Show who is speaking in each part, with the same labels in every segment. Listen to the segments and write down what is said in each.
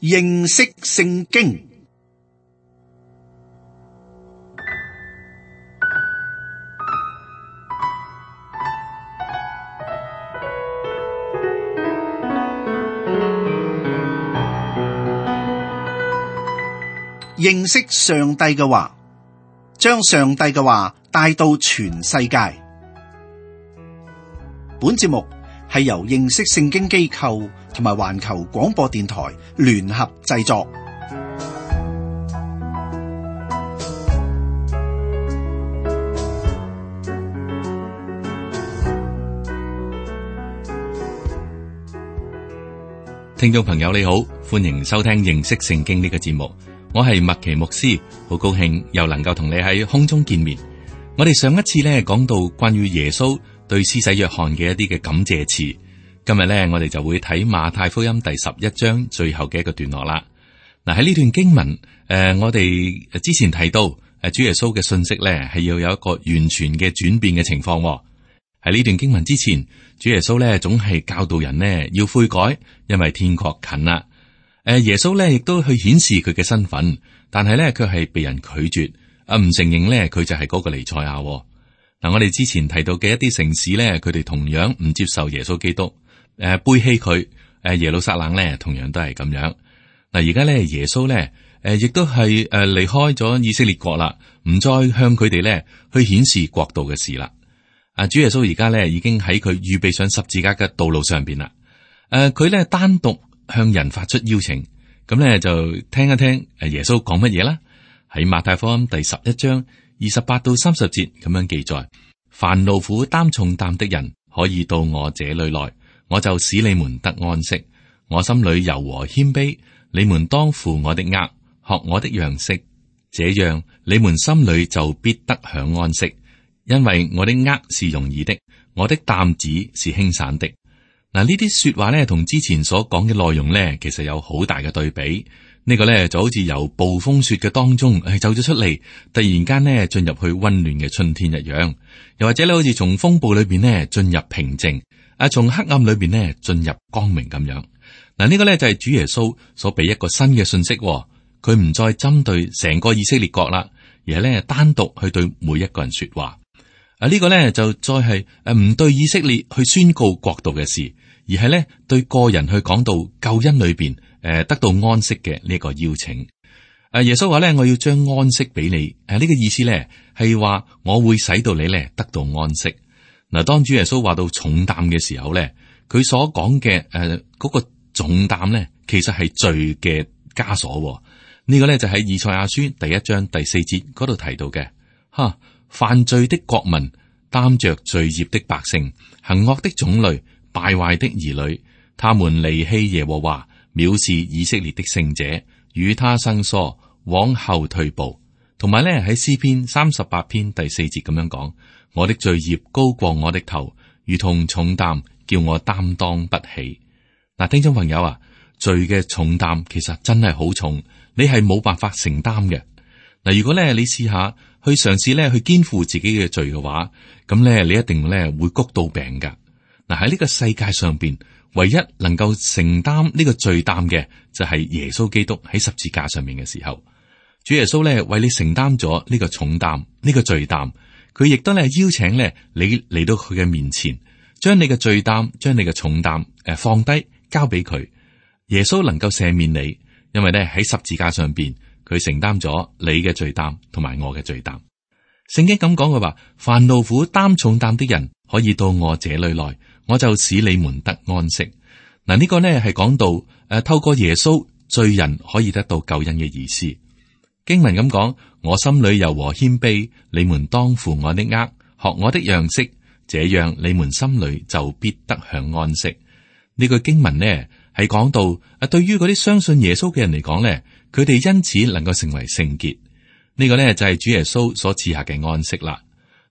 Speaker 1: 認識聖經。認識上帝嘅話，將上帝嘅話帶到全世界。本節目係由認識聖經機構同埋環球廣播電台聯合製作。
Speaker 2: 聽眾朋友你好，歡迎收聽認識聖經呢個節目。我係麥奇牧師，好高興又能夠同你喺空中見面。我哋上一次咧講到關於耶穌對施洗約翰嘅一啲嘅感謝詞，今日咧我哋就會睇馬太福音第11章最後嘅一個段落啦。嗱，喺呢段經文，我哋之前提到主耶穌嘅信息咧係要有一個完全嘅轉變嘅情況。喺呢段經文之前，主耶穌咧總係教導人呢要悔改，因為天國近啦。耶穌咧亦都去顯示佢嘅身份，但係咧佢係被人拒絕，唔承認咧佢就係嗰個彌賽亞。嗱，我哋之前提到嘅一啲城市咧，佢哋同樣唔接受耶穌基督，背棄佢。耶路撒冷咧同樣都係咁樣。嗱，而家咧耶穌咧，亦都係離開咗以色列國啦，唔再向佢哋咧去顯示國度嘅事啦。主耶穌而家咧已經喺佢預備上十字架嘅道路上邊啦。佢咧單獨向人發出邀請，咁咧就聽一聽耶穌講乜嘢啦。喺馬太福音第11章28到30節咁樣記載：凡勞苦擔重擔的人，可以到我這裏來，我就使你們得安息。我心裏柔和謙卑，你們當負我的軛，學我的樣式，這樣你們心裏就必得享安息。因為我的軛是容易的，我的擔子是輕省的。嗱，呢啲說話咧，同之前所講嘅內容咧，其實有好大嘅對比。呢個咧就好似由暴風雪嘅當中走咗出嚟，突然間咧進入去溫暖嘅春天一樣。又或者咧，好似從風暴裏邊咧進入平靜，從黑暗裏邊咧進入光明咁樣。嗱，呢個咧就係主耶穌所俾一個新嘅信息。佢唔再針對成個以色列國啦，而係咧單獨去對每一個人說話。呢個咧就再係唔對以色列去宣告國度嘅事，而係咧對個人去講到救恩裏邊得到安息嘅呢個邀請。耶穌話咧，我要將安息俾你。呢個意思咧係話我會使到你咧得到安息。嗱，當主耶穌話到重擔嘅時候咧，佢所講嘅嗰個重擔咧，其實係罪嘅枷鎖。呢個咧就喺以賽亞書第1章第4節嗰度提到嘅。犯罪的國民，擔着罪孽的百姓，行惡的種類，敗壞的兒女，他們離棄耶和華，藐視以色列的聖者，與他生疏，往後退步。同埋咧喺詩篇38篇第4節咁樣講：我的罪孽高過我的頭，如同重擔，叫我擔當不起。嗱，聽眾朋友啊，罪嘅重擔其實真係好重，你係冇辦法承擔嘅。嗱，如果咧你試下去嘗試咧去肩負自己嘅罪嘅話，咁咧你一定咧會谷到病噶。嗱，喺呢個世界上邊，唯一能夠承擔呢個罪擔嘅就係耶穌基督喺十字架上面嘅時候，主耶穌咧為你承擔咗呢個重擔，呢個罪擔。佢亦都咧邀請咧你嚟到佢嘅面前，將你嘅罪擔，將你嘅重擔放低，交俾佢。耶穌能夠赦免你，因為咧喺十字架上邊。佢承擔咗你嘅罪擔同埋我嘅罪擔。聖經咁講嘅話，凡勞苦擔重擔的人，可以到我這裏來，我就使你們得安息。嗱，呢個呢係講到透過耶穌，罪人可以得到救恩嘅意思。經文咁講：我心裏柔和謙卑，你們當負我的軛，學我的樣式，這樣你們心裏就必得享安息。呢句經文呢係講到對於嗰啲相信耶穌嘅人嚟講呢，佢哋因此能夠成為聖潔。呢個呢就係主耶穌所賜下嘅安息啦。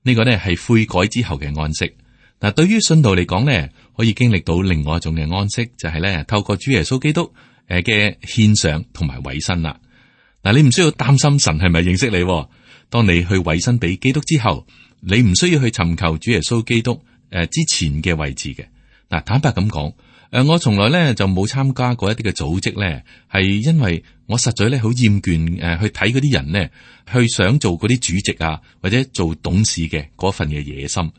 Speaker 2: 呢個呢係悔改之後嘅安息。嗱，對於信徒嚟講呢，可以經歷到另外一種嘅安息，就係呢透過主耶穌基督嘅獻上同埋委身啦。嗱，你唔需要擔心神係咪認識你。當你去委身俾基督之後，你唔需要去尋求主耶穌基督之前嘅位置嘅。嗱，坦白咁講，我從來咧就冇參加過一啲嘅組織咧，係因為我實在咧好厭倦去睇嗰啲人呢，去想做嗰啲主席啊或者做董事嘅嗰份嘅野心。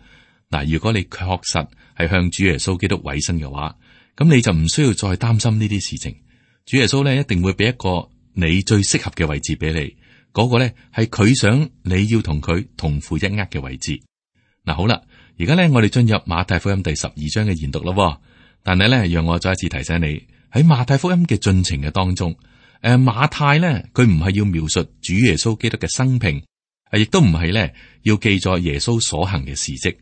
Speaker 2: 嗱，如果你確實係向主耶穌基督委身嘅話，咁你就唔需要再擔心呢啲事情。主耶穌咧一定會俾一個你最適合嘅位置俾你，嗰個咧係佢想你要同佢同負一軛嘅位置。嗱，好啦，而家咧我哋進入馬太福音第12章嘅研讀咯。但係咧，讓我再一次提醒你，喺馬太福音嘅進程嘅當中，馬太咧佢唔係要描述主耶穌基督嘅生平，亦都唔係咧要記載耶穌所行嘅事蹟。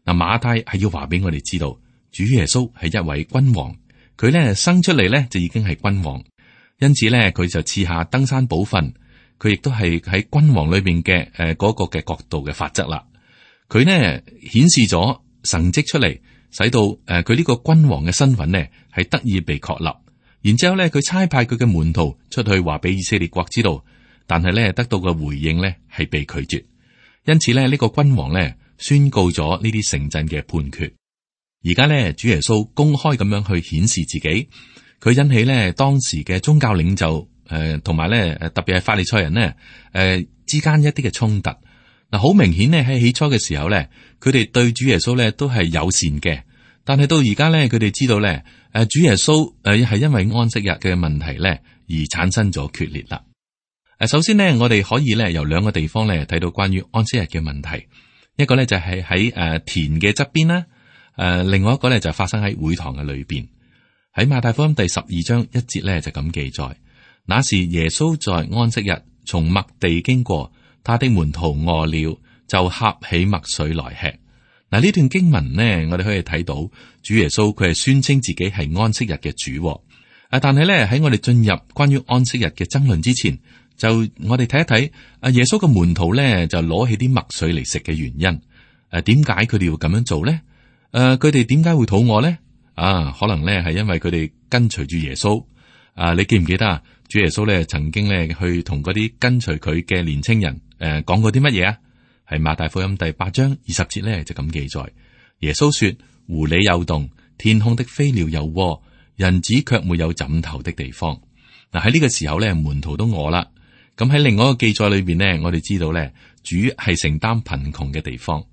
Speaker 2: 嗱，馬太係要話俾我哋知道，主耶穌係一位君王，佢咧生出嚟咧就已經係君王，因此咧佢就賜下登山寶訓，佢亦都係喺君王裏邊嘅嗰個嘅角度嘅法則啦。佢呢顯示咗神蹟出嚟，使到佢呢個君王嘅身份呢係得以被確立。然之後咧，佢差派佢嘅門徒出去話俾以色列國知道，但係咧得到嘅回應呢係被拒絕。因此咧，呢個君王呢宣告咗呢啲城鎮嘅判決。而家呢，主耶穌公開咁樣去顯示自己，佢引起呢當時嘅宗教領袖同埋咧特別係法利賽人呢之間一啲嘅衝突。嗱，好明顯咧喺起初嘅時候咧，佢哋對主耶穌咧都係友善嘅，但係到而家咧，佢哋知道咧，主耶穌係因為安息日嘅問題咧而產生咗決裂啦。首先呢，我哋可以咧由兩個地方咧睇到關於安息日嘅問題，一個咧就係喺田嘅側邊啦，另外一個咧就發生喺會堂嘅裏邊。喺馬太福音第12章1節咧就咁記載，那時耶穌在安息日從麥地經過。他的門徒餓了，就掐起麥穗來吃。嗱，呢段經文呢，我哋可以睇到主耶穌佢係宣稱自己係安息日嘅主。但係咧喺我哋進入關於安息日嘅爭論之前，就我哋睇一睇耶穌嘅門徒咧就攞起啲麥穗嚟食嘅原因。點解佢哋要咁樣做咧？佢哋點解會肚餓咧？可能咧係因為佢哋跟隨住耶穌。你記唔記得啊？主耶穌咧曾經咧去同嗰啲跟隨佢嘅年青人講過啲乜嘢啊？係馬太福音第8章20節咧就咁記載。耶穌說：狐狸有洞，天空的飛鳥有窩，人子卻沒有枕頭的地方。嗱，喺呢個時候咧，門徒都餓啦。咁喺另外一個記載裏邊呢，我哋知道咧，主係承擔貧窮嘅地方。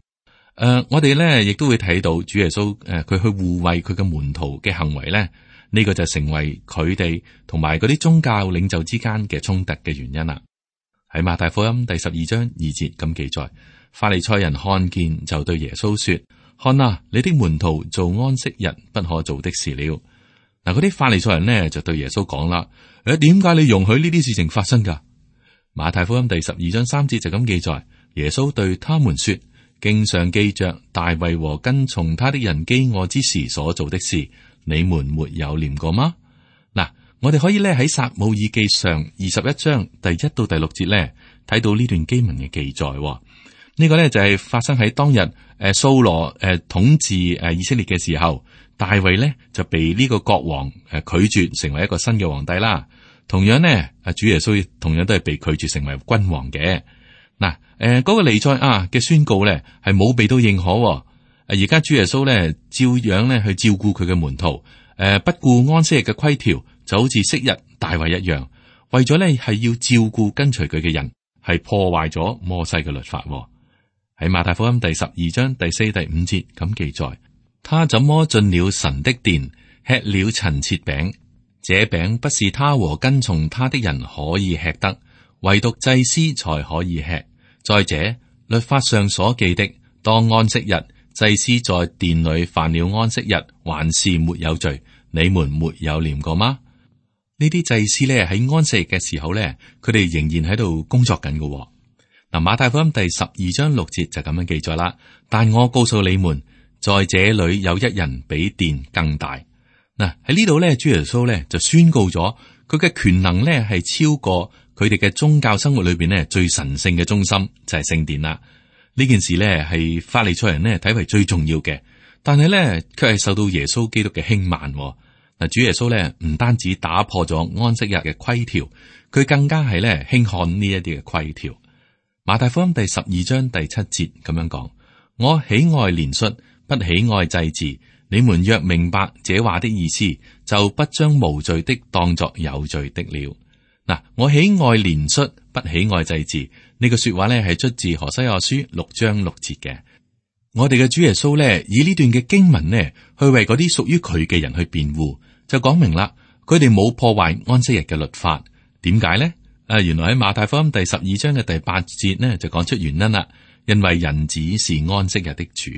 Speaker 2: 我哋咧亦都會睇到主耶穌佢去護衛佢嘅門徒嘅行為咧。呢個就成為佢哋同埋嗰啲宗教領袖之間嘅衝突嘅原因啦。喺馬太福音第12章2節咁記載，法利賽人看見就對耶穌說：看啊，你的門徒做安息日不可做的事了。嗱，嗰啲法利賽人呢就對耶穌講啦：點解你容許呢啲事情發生噶？馬太福音第12章3節就咁記載，耶穌對他們說：經上記着大衛和跟從他的人飢餓之時所做的事，你們沒有念過嗎？嗱，我哋可以咧喺撒母耳記上21章第1到第6節咧睇到呢段經文嘅記載。呢個咧就係發生喺當日掃羅統治以色列嘅時候，大衛咧就被呢個國王拒絕成為一個新嘅皇帝啦。同樣呢，主耶穌同樣都係被拒絕成為君王嘅。嗱，嗰個彌賽亞嘅宣告咧係冇被到認可。而家主耶穌咧，照樣咧去照顧佢嘅門徒，不顧安息日嘅規條，就好似昔日大衛一樣，為咗咧係要照顧跟隨佢嘅人，係破壞咗摩西嘅律法。喺馬太福音第12章第4、第5節咁記載，他怎麼進了神的殿，吃了陳設餅？這餅不是他和跟從他的人可以吃的，唯獨祭司才可以吃。再者，律法上所記的，當安息日。祭司在殿裏犯了安息日，還是沒有罪，你們沒有念過嗎？呢啲祭司咧喺安息日嘅時候咧，佢哋仍然喺度工作緊嘅。嗱，馬太福音第12章6節就咁樣記載啦。但我告訴你們，在這裏有一人比殿更大。嗱，喺呢度咧，主耶穌咧就宣告咗佢嘅權能咧係超過佢哋嘅宗教生活裏邊咧最神聖嘅中心就係聖殿啦。呢件事咧係法利賽人咧睇為最重要嘅，但係咧卻係受到耶穌基督嘅輕慢。嗱，主耶穌咧唔單止打破咗安息日嘅規條，佢更加係咧輕看呢一啲嘅規條。馬太福音第12章第7節咁樣講：我喜愛憐恤，不喜愛祭祀，你們若明白這話的意思，就不將無罪的當作有罪的了。嗱，我喜愛憐恤，不喜愛祭祀。呢個說話咧係出自何西阿書6章6節嘅。我哋嘅主耶穌咧以呢段嘅經文呢，去為嗰啲屬於佢嘅人去辯護，就講明啦，佢哋冇破壞安息日嘅律法。點解呢？原來喺馬太福音第12章嘅第8節呢，就講出原因啦。因為人子是安息日的主。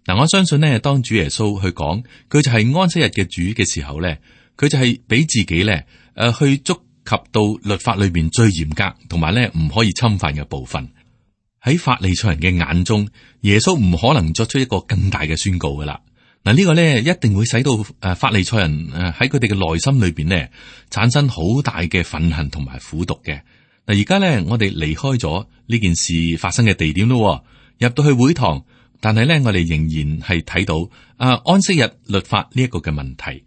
Speaker 2: 嗱，我相信呢，當主耶穌去講佢就係安息日嘅主嘅時候咧，佢就係俾自己咧去觸及到律法裏邊最嚴格同埋咧唔可以侵犯嘅部分。喺法利賽人嘅眼中，耶穌唔可能作出一個更大嘅宣告噶啦。嗱，呢個咧一定會使到法利賽人喺佢哋嘅內心裏邊呢產生好大嘅憤恨同埋苦毒嘅。嗱，而家咧我哋離開咗呢件事發生嘅地點咯，入到去會堂，但係咧我哋仍然係睇到安息日律法呢一個嘅問題。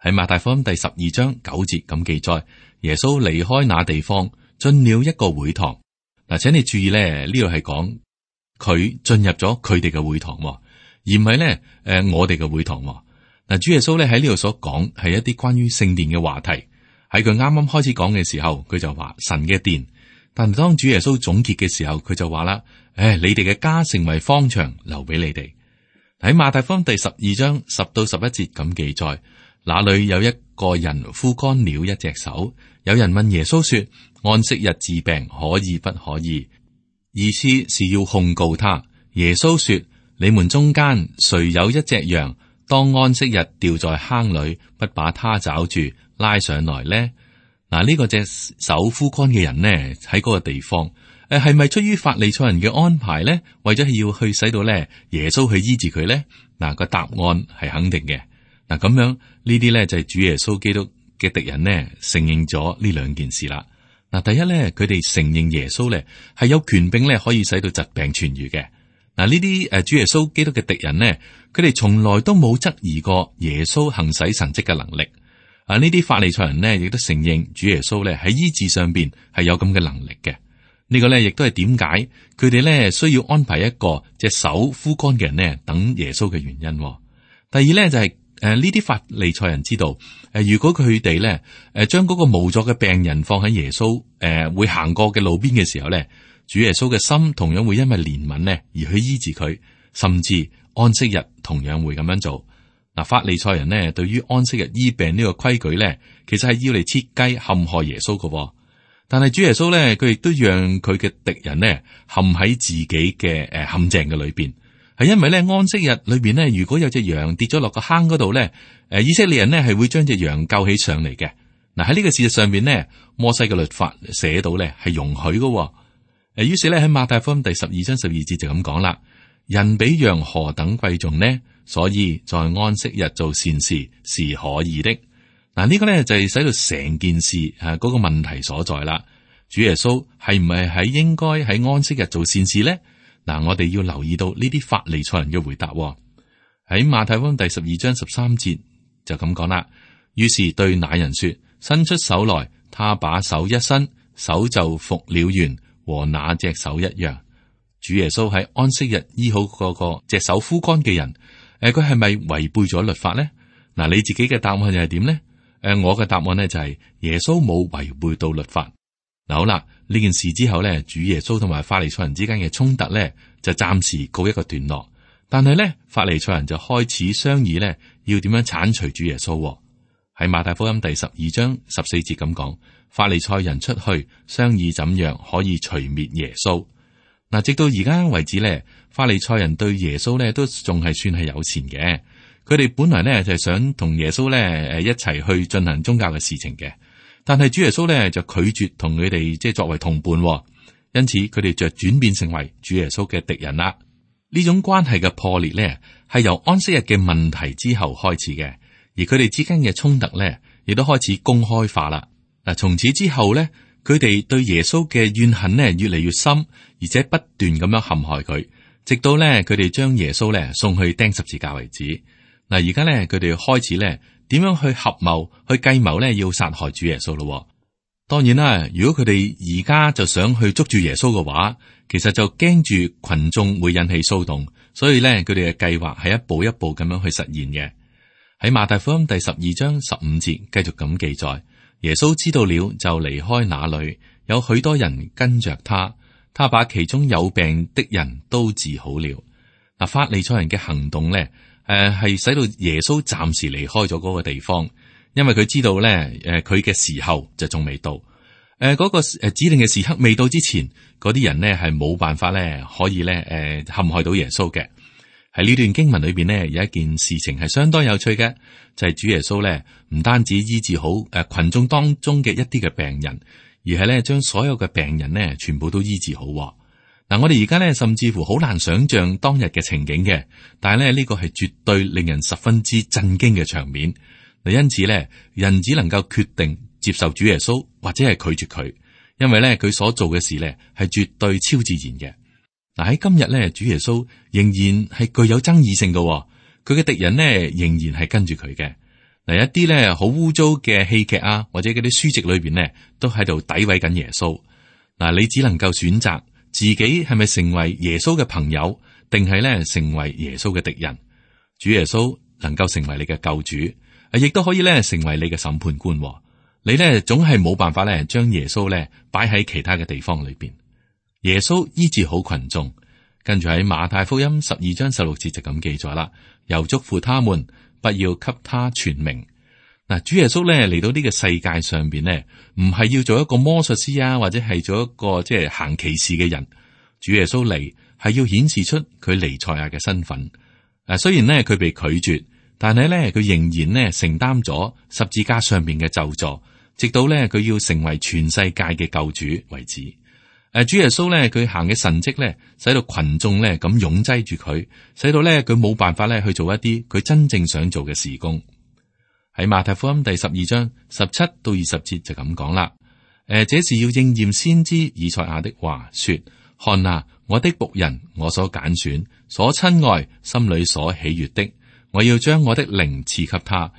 Speaker 2: 喺馬太福音第12章9節咁記載，耶穌離開那地方，進了一個會堂。嗱，請你注意咧，呢度係講佢進入咗佢哋嘅會堂，而唔係咧我哋嘅會堂。嗱，主耶穌咧喺呢度所講係一啲關於聖殿嘅話題。喺佢啱啱開始講嘅時候，佢就話神嘅殿。但係當主耶穌總結嘅時候，佢就話啦：你哋嘅家成為荒場，留俾你哋。喺馬太福音第12章10到11節咁記載，那裏有一個人枯乾了一隻手，有人問耶穌說：安息日治病可以不可以？意思是要控告他。耶穌說：你們中間誰有一隻羊，當安息日掉在坑裏，不把它抓住拉上來呢？嗱，呢個隻手枯乾嘅人呢，喺嗰個地方，係咪出於法利賽人嘅安排呢？為咗要去使到咧耶穌去醫治佢呢？嗱，個答案係肯定嘅。嗱，咁樣呢啲咧就係主耶穌基督嘅敵人呢承認咗呢兩件事啦。嗱，第一咧，佢哋承認耶穌咧係有權柄咧可以使到疾病痊愈嘅。嗱，呢啲主耶穌基督嘅敵人呢，佢哋從來都冇質疑過耶穌行使神蹟嘅能力。呢啲法利賽人呢，亦都承認主耶穌咧喺醫治上邊係有咁嘅能力嘅。呢個咧亦都係點解佢哋咧需要安排一個隻手枯乾嘅人呢等耶穌嘅原因。第二咧就係呢啲法利賽人知道如果佢哋咧將嗰個無助嘅病人放喺耶穌會行過嘅路邊嘅時候咧，主耶穌嘅心同樣會因為憐憫呢而去醫治佢，甚至安息日同樣會咁樣做。嗱，法利賽人呢對於安息日醫病呢個規矩咧，其實係要嚟設計陷害耶穌嘅。但係主耶穌咧，佢亦都讓佢嘅敵人呢陷喺自己嘅陷阱嘅裏邊，係因為咧安息日裏邊呢，如果有隻羊跌咗落個坑嗰度咧，以色列人呢係會將隻羊救起上嚟嘅。嗱，喺呢個事實上邊呢，摩西嘅律法寫到咧係容許嘅。於是咧喺馬太福音第12章12節就咁講啦：人比羊何等貴重呢？所以在安息日做善事是可以的。嗱，呢個咧就係使到成件事嗰個問題所在啦。主耶穌係唔係應該喺安息日做善事咧？嗱，我哋要留意到呢啲法利賽人嘅回答。喺馬太福音第12章13節就咁講啦。於是對那人說：伸出手來，他把手一伸，手就復了原，和那隻手一樣。主耶穌喺安息日醫好嗰個隻手枯乾嘅人。佢係咪違背咗律法咧？嗱，你自己嘅答案又係點咧？我嘅答案咧就係耶穌冇違背到律法。嗱，好啦，呢件事之後咧，主耶穌同埋法利賽人之間嘅衝突咧就暫時告一個段落。但係咧，法利賽人就開始商議咧，要點樣鏟除主耶穌。喺馬太福音第12章14節咁講，法利賽人出去商議怎樣可以除滅耶穌。嗱，直到而家為止咧，法利賽人對耶穌咧都仲係算係友善嘅。佢哋本來咧就係想同耶穌咧一齊去進行宗教嘅事情嘅，但係主耶穌咧就拒絕同佢哋即係作為同伴，因此佢哋就轉變成為主耶穌嘅敵人啦。呢種關係嘅破裂咧係由安息日嘅問題之後開始嘅，而佢哋之間嘅衝突咧亦都開始公開化啦。嗱，從此之後咧，佢哋對耶穌嘅怨恨呢越嚟越深，而且不斷咁樣陷害佢，直到咧佢哋將耶穌咧送去釘十字架為止。嗱，而家咧佢哋開始咧點樣去合謀去計謀咧要殺害主耶穌咯。當然啦，如果佢哋而家就想去捉住耶穌嘅話，其實就驚住群眾會引起騷動，所以咧佢哋嘅計劃係一步一步咁樣去實現嘅。喺馬太福音第12章15節繼續咁記載，耶穌知道了就離開那裏，有許多人跟着他，他把其中有病的人都治好了。嗱，法利賽人嘅行動咧，係使到耶穌暫時離開咗嗰個地方。因為佢知道咧，佢嘅時候就仲未到，嗰個指定嘅時刻未到之前，嗰啲人呢係冇辦法咧可以咧陷害到耶穌嘅。喺呢段經文裏邊呢，有一件事情係相當有趣嘅，就係主耶穌咧唔單止醫治好群眾當中嘅一啲嘅病人，而係咧將所有嘅病人呢全部都醫治好。嗱，我哋而家咧甚至乎好難想象當日嘅情景嘅，但係咧呢個係絕對令人十分之震驚嘅場面。因此咧，人只能夠決定接受主耶穌，或者係拒絕佢，因為咧佢所做嘅事咧係絕對超自然嘅。嗱，喺今日咧，主耶穌仍然係具有爭議性嘅，佢嘅敵人呢仍然係跟住佢嘅。嗱，一啲咧好污糟嘅戲劇啊，或者嗰啲書籍裏邊呢，都喺度詆毀緊耶穌。嗱，你只能夠選擇自己係咪成為耶穌嘅朋友，定係咧成為耶穌嘅敵人。主耶穌能夠成為你嘅救主。亦都可以咧成為你嘅審判官，你咧總係冇辦法咧將耶穌咧擺喺其他嘅地方裏邊。耶穌醫治好群眾，跟住喺馬太福音12章16節就咁記載啦，又囑咐他們不要給他傳名。嗱，主耶穌咧嚟到呢個世界上邊咧，唔係要做一個魔術師啊，或者係做一個即係行奇事嘅人。主耶穌嚟係要顯示出佢彌賽亞嘅身份。雖然咧佢被拒絕。但係咧，佢仍然咧承擔咗十字架上面嘅咒詛，直到咧佢要成為全世界嘅救主為止。主耶穌咧佢行嘅神蹟咧，使到群眾咧咁擁擠住佢，使到咧佢冇辦法咧去做一啲佢真正想做嘅事工。喺馬太福音第12章17到20節就咁講啦。這是要應驗先知以賽亞的話，說：看啊，我的僕人，我所揀選、所親愛、心裏所喜悅的。我要將我的靈賜給他，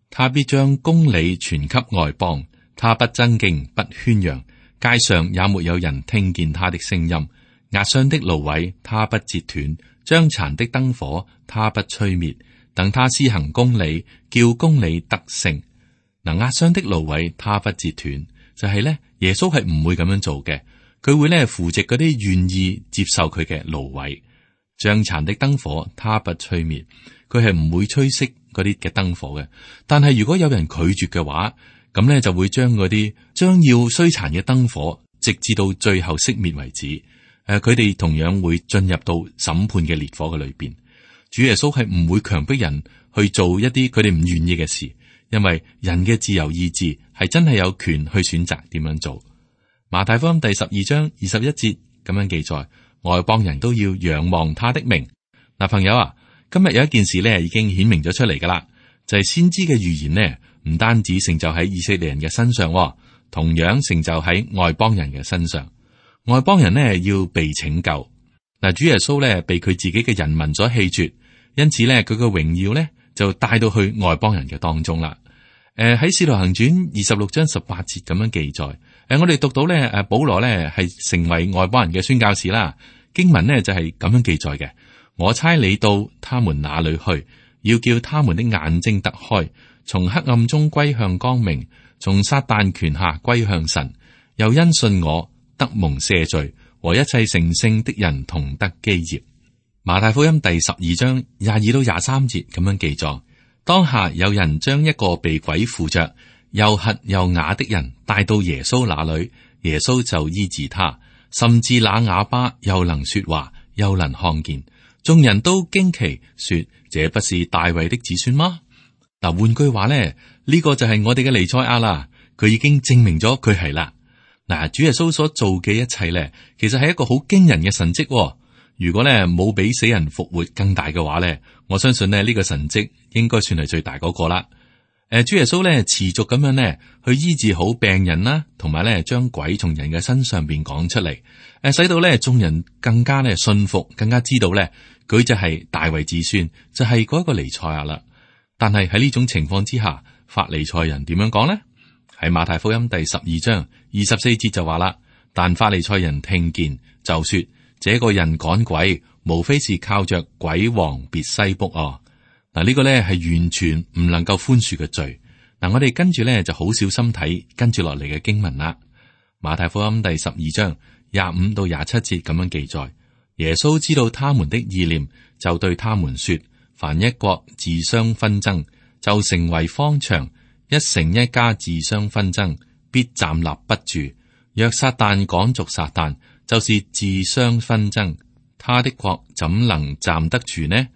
Speaker 2: 他必將公理傳給外邦。他不爭競，不喧嚷，街上也沒有人聽見他的聲音。壓傷的蘆葦，他不折斷；將殘的燈火，他不吹滅。等他施行公理，叫公理得勝。嗱，壓傷的蘆葦，他不折斷，就係咧，耶穌係唔會咁樣做嘅。佢會咧扶植嗰啲願意接受佢嘅蘆葦。將殘的燈火，他不吹滅。佢係唔會吹熄嗰啲嘅燈火嘅，但係如果有人拒絕嘅話，咁咧就會將嗰啲將要衰殘嘅燈火，直至到最後熄滅為止。佢哋同樣會進入到審判嘅烈火嘅裏邊。主耶穌係唔會強迫人去做一啲佢哋唔願意嘅事，因為人嘅自由意志係真係有權去選擇點樣做。馬太福音第12章21節咁樣記載，外邦人都要仰望他的名。嗱，朋友啊。今日有一件事咧，已經顯明咗出嚟噶啦，就係先知嘅預言呢，唔單止成就喺以色列人嘅身上，同樣成就喺外邦人嘅身上。外邦人呢要被拯救。嗱，主耶穌咧被佢自己嘅人民所棄絕，因此咧佢嘅榮耀咧就帶到去外邦人嘅當中啦。喺使徒行傳26章18節咁樣記載。我哋讀到咧，保羅咧係成為外邦人嘅宣教士啦。經文呢就係咁樣記載嘅。我差你到他們那裏去，要叫他們的眼睛得開，從黑暗中歸向光明，從撒旦權下歸向神，又因信我得蒙赦罪，和一切成聖的人同得基業。馬太福音第12章22到23節咁樣記載：當下有人將一個被鬼附着、又瞎又啞的人帶到耶穌那裏，耶穌就醫治他，甚至那啞巴又能說話，又能看見。眾人都驚奇說：這不是大衛的子孫嗎？嗱，換句話咧，呢個就係我哋嘅彌賽亞啦。佢已經證明咗佢係啦。嗱，主耶穌所做嘅一切咧，其實係一個好驚人嘅神蹟。如果咧冇比死人復活更大嘅話咧，我相信咧呢個神蹟應該算係最大嗰個啦。主耶穌咧持續咁樣咧去醫治好病人啦，同埋咧將鬼從人嘅身上邊趕出嚟，使到咧眾人更加咧信服，更加知道咧佢就係大衛子孫，就係嗰一個彌賽亞啦。但係喺呢種情況之下，法利賽人點樣講呢？喺馬太福音第12章24節就話啦，但法利賽人聽見就說，這個人趕鬼，無非是靠着鬼王別西卜哦。嗱，呢個咧係完全唔能夠寬恕嘅罪。嗱，我哋跟住咧就好小心睇跟住落嚟嘅經文啦。馬太福音第12章25到27節咁樣記載，耶穌知道他們的意念，就對他們說，凡一國自相紛爭，就成為荒場；一城一家自相紛爭，必站立不住。若撒旦趕逐撒旦，就是自相紛爭，他的國怎能站得住呢？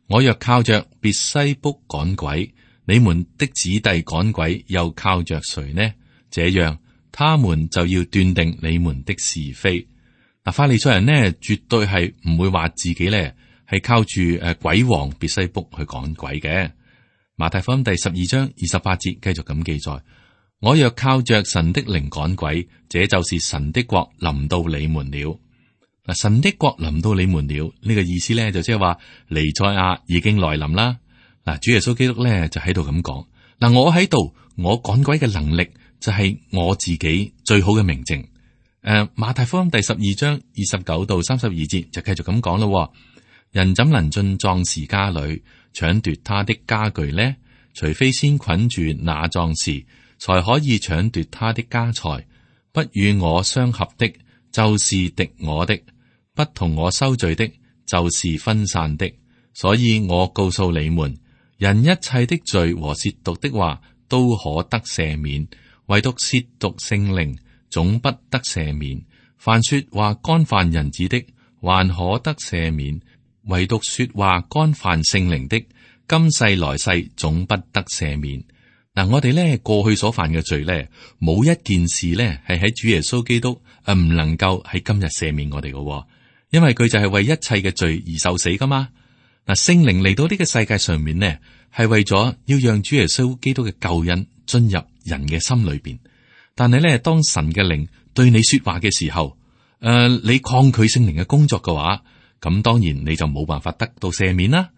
Speaker 2: 我若靠着別西卜趕鬼，你們的子弟趕鬼又靠着誰呢？這樣他們就要斷定你們的是非。嗱，法利賽人呢，絕對係唔會話自己呢係靠住鬼王別西卜去趕鬼嘅。馬太福音第12章28節繼續咁記載：我若靠着神的靈趕鬼，這就是神的國臨到你們了。嗱，神的國臨到你們了，呢個意思咧就即係話彌賽亞已經來臨啦。嗱，主耶穌基督咧就喺度咁講：嗱，我喺度，我趕鬼嘅能力就係我自己最好嘅明證。馬太福音第12章29到32節就繼續咁講咯。人怎能進壯士家裏搶奪他的家具呢？除非先捆住那壯士，才可以搶奪他的家財。不與我相合的，就是敵我的；不同我收聚的，就是分散的。所以我告訴你們，人一切的罪和褻瀆的話都可得赦免，唯獨褻瀆聖靈總不得赦免。凡說話干犯人子的，還可得赦免，唯獨說話干犯聖靈的，今世來世總不得赦免。嗱，我哋咧過去所犯嘅罪咧，冇一件事咧係喺主耶穌基督唔能夠喺今日赦免我哋嘅，因為佢就係為一切嘅罪而受死噶嘛。嗱，聖靈嚟到呢個世界上面呢，係為咗要讓主耶穌基督嘅救恩進入人嘅心裏邊。但係咧，當神嘅靈對你說話嘅時候，你抗拒聖靈嘅工作嘅話，咁當然你就冇辦法得到赦免啦。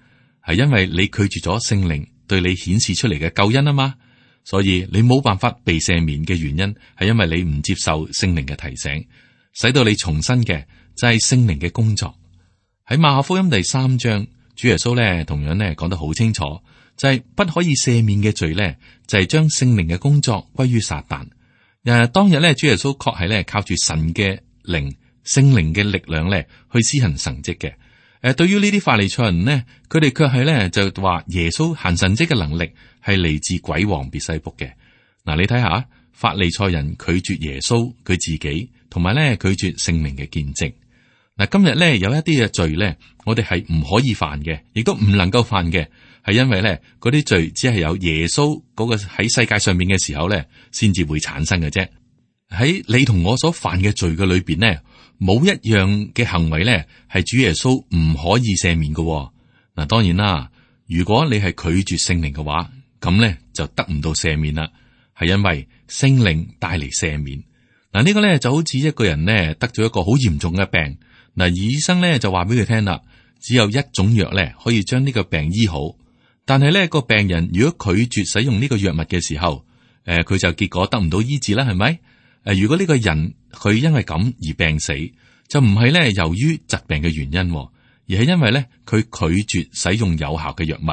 Speaker 2: 係因為你拒絕咗聖靈對你顯示出嚟嘅救恩啊嘛，所以你冇辦法被赦免嘅原因係因為你唔接受聖靈嘅提醒，使到你重生嘅就係聖靈嘅工作。喺馬可福音第3章，主耶穌咧同樣咧講得好清楚，就係不可以赦免嘅罪咧，就係將聖靈嘅工作歸於撒旦。當日咧，主耶穌確係咧靠住神嘅靈、聖靈嘅力量咧去施行神蹟嘅。對於呢啲法利賽人呢，佢哋卻係咧就話耶穌行神蹟嘅能力係嚟自鬼王別西卜嘅。嗱，你睇下法利賽人拒絕耶穌佢自己，同埋咧拒絕聖靈嘅見證。嗱，今日咧有一啲嘅罪咧，我哋係唔可以犯嘅，亦都唔能夠犯嘅，係因為咧嗰啲罪只係有耶穌嗰個喺世界上面嘅時候咧，先至會產生嘅啫。喺你同我所犯嘅罪嘅裏邊呢，冇一樣嘅行為咧係主耶穌唔可以赦免嘅。嗱，當然啦，如果你係拒絕聖靈嘅話，咁咧就得唔到赦免啦，係因為聖靈帶嚟赦免。嗱，呢個咧就好似一個人呢得咗一個好嚴重嘅病，嗱，醫生咧就話俾佢聽啦，只有一種藥咧可以將呢個病醫好，但係咧個病人如果拒絕使用呢個藥物嘅時候，佢就結果得唔到醫治啦，係咪？如果呢個人佢因為咁而病死，就唔係咧由於疾病嘅原因，而係因為咧佢拒絕使用有效嘅藥物。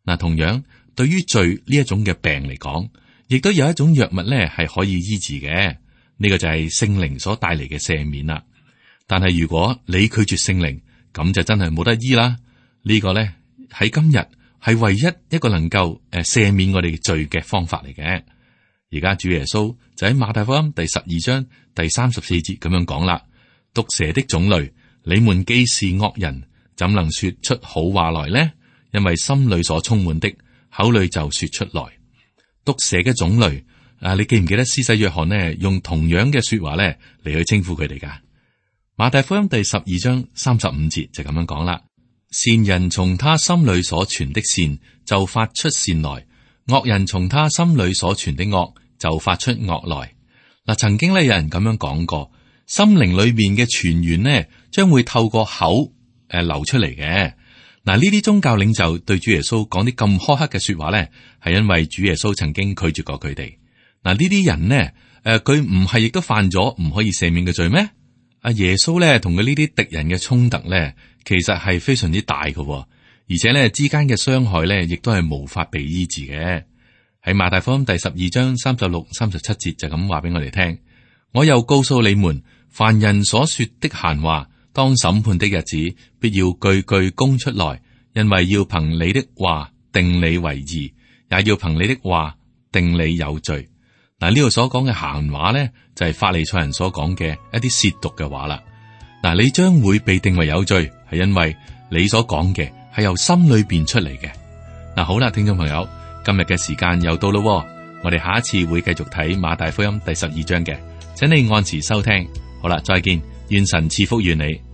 Speaker 2: 嗱，同樣對於罪呢一種嘅病嚟講，亦都有一種藥物咧係可以醫治嘅，呢個就係聖靈所帶嚟嘅赦免啦。但係如果你拒絕聖靈，咁就真係冇得醫啦。呢個咧喺今日係唯一一個能夠赦免我哋罪嘅方法嚟嘅。而家主耶穌就喺馬太福音第12章第34節咁樣講啦：毒蛇的種類，你們既是惡人，怎能說出好話來呢？因為心裏所充滿的，口裏就說出來。毒蛇嘅種類，你記唔記得施洗約翰呢用同樣嘅說話咧嚟去稱呼佢哋噶？馬太福音第12章35節就咁樣講啦：善人從他心裏所存的善就發出善來，惡人從他心裏所存的惡就發出惡來。嗱，曾經咧有人咁樣講過，心靈裏面嘅泉源呢將會透過口流出嚟嘅。嗱，呢啲宗教領袖對主耶穌講啲咁苛刻嘅說話咧，係因為主耶穌曾經拒絕過佢哋。嗱，呢啲人呢，佢唔係亦都犯咗唔可以赦免嘅罪咩？阿耶穌咧同佢呢啲敵人嘅衝突咧，其實係非常之大嘅，而且咧之間嘅傷害咧，亦都係無法被醫治嘅。喺馬太福音第12章36、37節就咁話俾我哋聽。我又告訴你們，凡人所說的閒話，當審判的日子，必要句句供出來，因為要憑你的話定你為義，也要憑你的話定你有罪。嗱，呢度所講嘅閒話咧，就係法利賽人所講嘅一啲褻瀆嘅話啦。嗱，你將會被定為有罪，係因為你所講嘅係由心裏邊出嚟嘅。嗱，好啦，聽眾朋友，今日嘅時間又到咯，我哋下一次會繼續睇馬太福音第12章嘅，請你按時收聽。好啦，再見，願神賜福於你。